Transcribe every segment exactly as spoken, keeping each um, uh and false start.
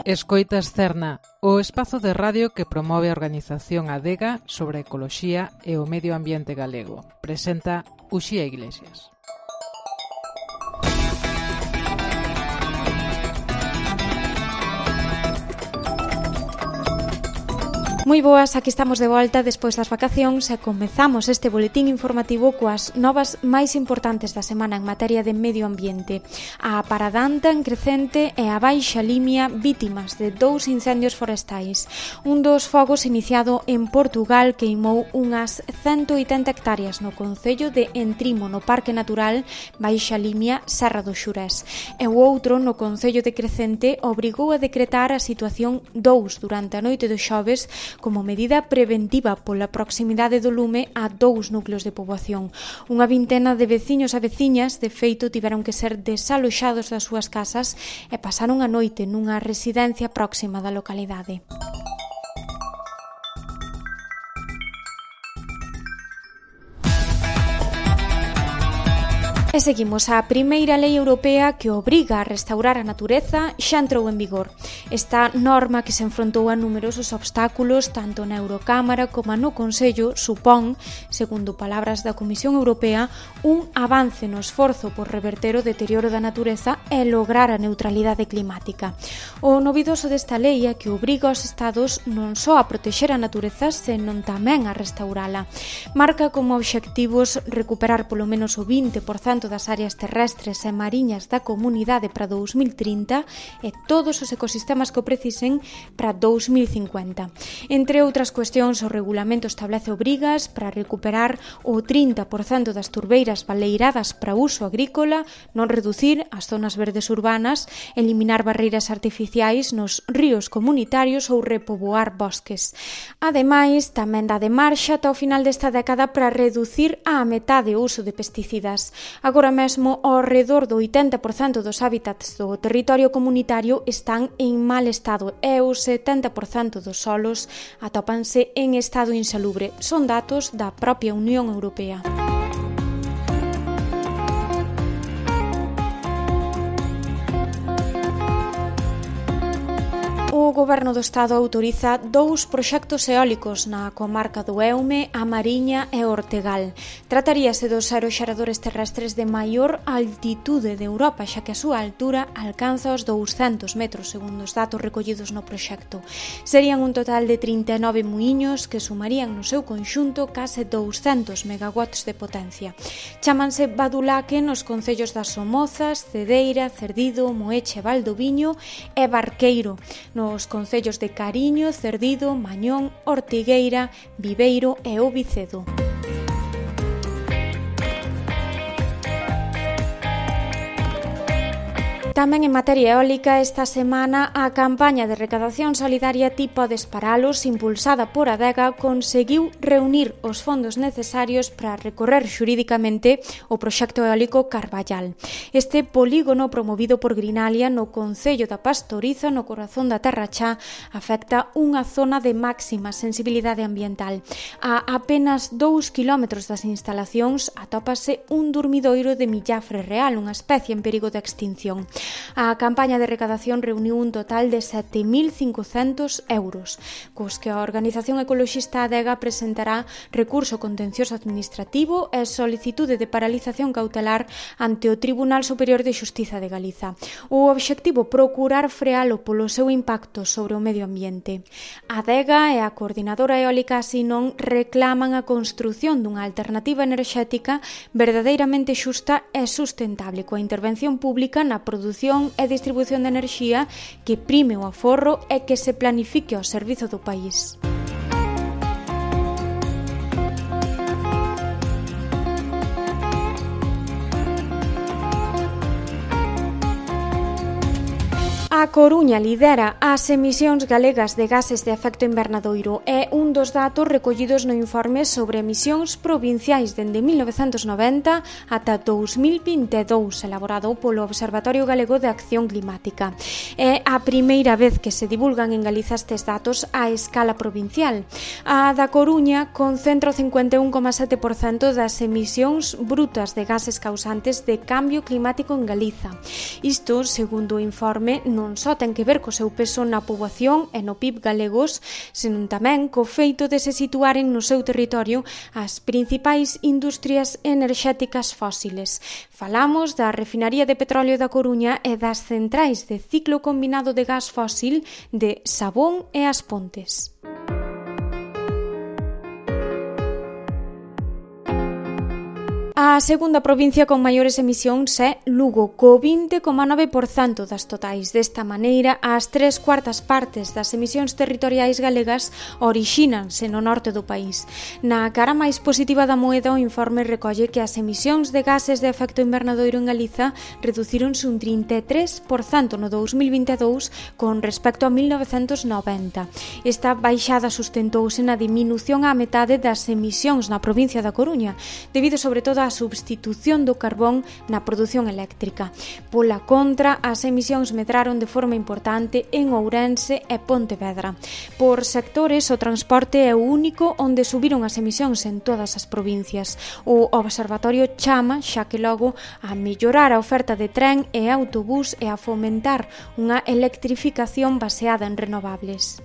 Escoitas Cerna, o espazo de radio que promove a organización Adega sobre a ecoloxía e o medio ambiente galego. Presenta Uxía Iglesias. Moi boas, aquí estamos de volta despois das vacacións e comezamos este boletín informativo coas novas máis importantes da semana en materia de medio ambiente. A Paradanta en Crecente e a Baixa Limia vítimas de dous incendios forestais. Un dos fogos iniciado en Portugal queimou unhas ciento oitenta hectáreas no concello de Entrimo, no Parque Natural Baixa Limia Serra do Xurés. E o outro, no concello de Crecente, obrigou a decretar a situación dous durante a noite do xoves como medida preventiva pola proximidade do lume a dous núcleos de poboación. Unha vintena de veciños e veciñas, de feito, tiveron que ser desaloxados das súas casas e pasaron a noite nunha residencia próxima da localidade. E seguimos, a primeira lei europea que obriga a restaurar a natureza xa entrou en vigor. Esta norma, que se enfrontou a numerosos obstáculos tanto na Eurocámara como no Consello, supón, segundo palabras da Comisión Europea, un avance no esforzo por reverter o deterioro da natureza e lograr a neutralidade climática. O novidoso desta lei é que obriga aos Estados non só a protexer a natureza, senón tamén a restaurala. Marca como obxectivos recuperar polo menos o vinte por cento das áreas terrestres e mariñas da comunidade para dous mil trinta e todos os ecosistemas que o precisen para dous mil cincuenta. Entre outras cuestións, o regulamento establece obrigas para recuperar o trinta por cento das turbeiras baleiradas para uso agrícola, non reducir as zonas verdes urbanas, eliminar barreiras artificiais nos ríos comunitarios ou repoboar bosques. Ademais, tamén dá de marxa ata o final desta década para reducir á metade o uso de pesticidas. Agora mesmo, ao redor do oitenta por cento dos hábitats do territorio comunitario están en mal estado e o setenta por cento dos solos atópanse en estado insalubre. Son datos da propia Unión Europea. O Goberno do Estado autoriza dous proxectos eólicos na comarca do Eume, a Mariña e o Ortegal. Trataríase dos aeroxeradores terrestres de maior altitude de Europa, xa que a súa altura alcanza os douscentos metros, segundo os datos recollidos no proxecto. Serían un total de trinta e nove muiños que sumarían no seu conxunto case douscentos megawatts de potencia. Chámanse Badulaque nos concellos das Somozas, Cedeira, Cerdido, Moeche, Valdoviño e Barqueiro, nos concellos de Cariño, Cerdido, Mañón, Ortigueira, Viveiro e O Vicedo. Tamén en materia eólica, esta semana a campaña de recadación solidaria Ti Podes Paralos, impulsada por Adega, conseguiu reunir os fondos necesarios para recorrer xurídicamente o proxecto eólico Carballal. Este polígono promovido por Grinalia no concello da Pastoriza, no corazón da Terra Chá, afecta unha zona de máxima sensibilidade ambiental. A apenas dous kilómetros das instalacións atópase un durmidoiro de millafre real, unha especie en perigo de extinción. A campaña de recadación reuniu un total de sete mil cincocentos euros, cos que a organización ecoloxista Adega presentará recurso contencioso administrativo e solicitude de paralización cautelar ante o Tribunal Superior de Xustiza de Galiza. O obxectivo, procurar frealo polo seu impacto sobre o medio ambiente. Adega e a Coordinadora Eólica Asinon reclaman a construción dunha alternativa enerxética verdadeiramente xusta e sustentable, coa intervención pública na produción e distribución de enerxía que prime o aforro e que se planifique ao servizo do país. A Coruña lidera as emisións galegas de gases de efecto invernadoiro. É un dos datos recollidos no informe sobre emisións provinciais dende mil novecentos noventa ata dous mil vinte e dous, elaborado polo Observatorio Galego de Acción Climática. É a primeira vez que se divulgan en Galiza estes datos a escala provincial. A da Coruña concentra o cincuenta e un coma sete por cento das emisións brutas de gases causantes de cambio climático en Galiza. Isto, segundo o informe, non só ten que ver co seu peso na poboación e no P I B galegos, senón tamén co feito de se situaren no seu territorio as principais industrias enerxéticas fósiles. Falamos da refinaría de petróleo da Coruña e das centrais de ciclo combinado de gas fósil de Sabón e As Pontes. A segunda provincia con maiores emisións é Lugo, co vinte coma nove por cento das totais. Desta maneira, as tres cuartas partes das emisións territoriais galegas orixínanse no norte do país. Na cara máis positiva da moeda, o informe recolle que as emisións de gases de efecto invernadoiro en Galiza reducíronse un trinta e tres por cento no dous mil vinte e dous con respecto a mil novecentos noventa. Esta baixada sustentouse na diminución á metade das emisións na provincia da Coruña, debido sobre todo a substitución do carbón na produción eléctrica. Pola contra, as emisións medraron de forma importante en Ourense e Pontevedra. Por sectores, o transporte é o único onde subiron as emisións en todas as provincias. O Observatorio chama, xa que logo, a mellorar a oferta de tren e autobús e a fomentar unha electrificación baseada en renovables.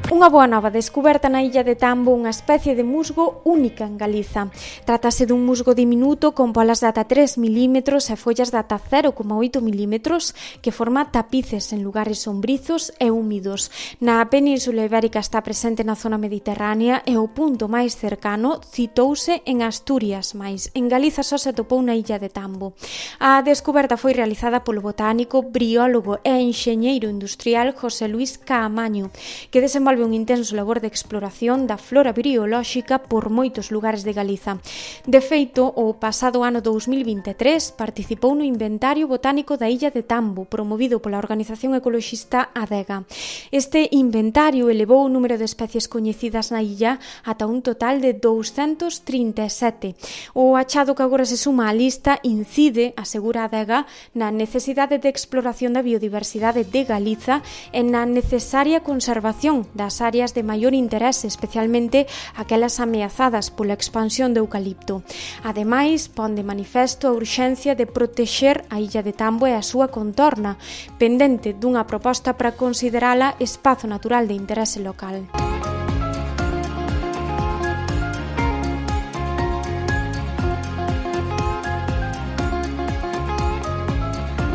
Unha boa nova descuberta na illa de Tambo, unha especie de musgo única en Galiza. Trátase dun musgo diminuto con polas de ata tres milímetros e follas de ata cero coma oito milímetros que forma tapices en lugares sombrizos e húmidos. Na Península Ibérica está presente na zona mediterránea e o punto máis cercano citouse en Asturias, mais en Galiza só se atopou na illa de Tambo. A descuberta foi realizada polo botánico, biólogo e enxeñeiro industrial José Luis Caamaño, que desenvolve un intenso labor de exploración da flora biolóxica por moitos lugares de Galiza. De feito, o pasado ano dous mil vinte e tres participou no Inventario Botánico da Illa de Tambo, promovido pola organización ecoloxista Adega. Este inventario elevou o número de especies coñecidas na illa ata un total de douscentos trinta e sete. O achado que agora se suma á lista incide, asegura Adega, na necesidade de exploración da biodiversidade de Galiza e na necesaria conservación das áreas de maior interese, especialmente aquelas ameazadas pola expansión do eucalipto. Ademais, pon de manifesto a urxencia de protexer a illa de Tambo e a súa contorna, pendente dunha proposta para considerala espazo natural de interese local.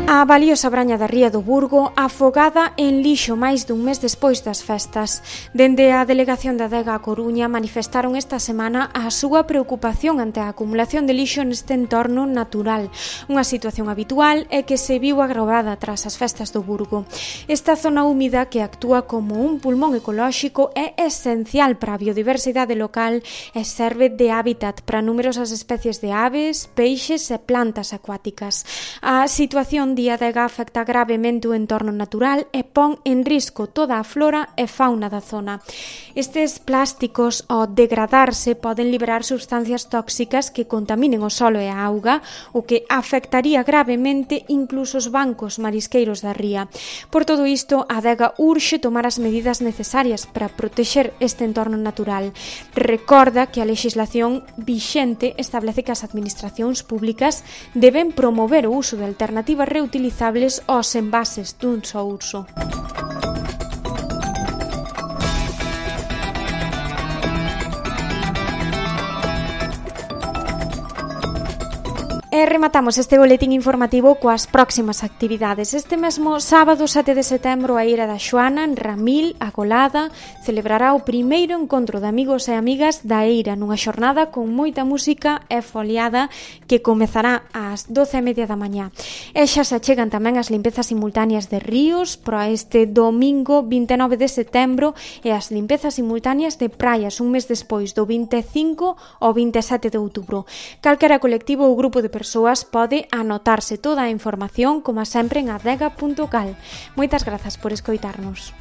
A valiosa braña da Ría do Burgo afogada en lixo máis dun mes despois das festas. Dende a Delegación da Adega a Coruña manifestaron esta semana a súa preocupación ante a acumulación de lixo neste entorno natural, unha situación habitual e que se viu agravada tras as festas do Burgo. Esta zona húmida, que actúa como un pulmón ecolóxico, é esencial para a biodiversidade local e serve de hábitat para numerosas especies de aves, peixes e plantas acuáticas. A situación di Adega afecta gravemente o entorno natural e pon en risco toda a flora e fauna da zona. Estes plásticos, ao degradarse, poden liberar substancias tóxicas que contaminen o solo e a auga, o que afectaría gravemente incluso os bancos marisqueiros da ría. Por todo isto, a Adega urxe tomar as medidas necesarias para protexer este entorno natural. Recorda que a lexislación vixente establece que as administracións públicas deben promover o uso de alternativas reutilizables aos envases dun só uso. E rematamos este boletín informativo coas próximas actividades. Este mesmo sábado sete de setembro a Eira da Xoana, en Ramil, a Golada, celebrará o primeiro encontro de amigos e amigas da Eira nunha xornada con moita música e foliada que comezará ás doce e media da mañá. E xa se achegan tamén as limpezas simultáneas de ríos para este domingo vinte e nove de setembro e as limpezas simultáneas de praias un mes despois do vinte e cinco ao vinte e sete de outubro. Calquera colectivo ou grupo de persoas pode anotarse toda a información, como sempre, en adega punto cal. Moitas grazas por escoitarnos.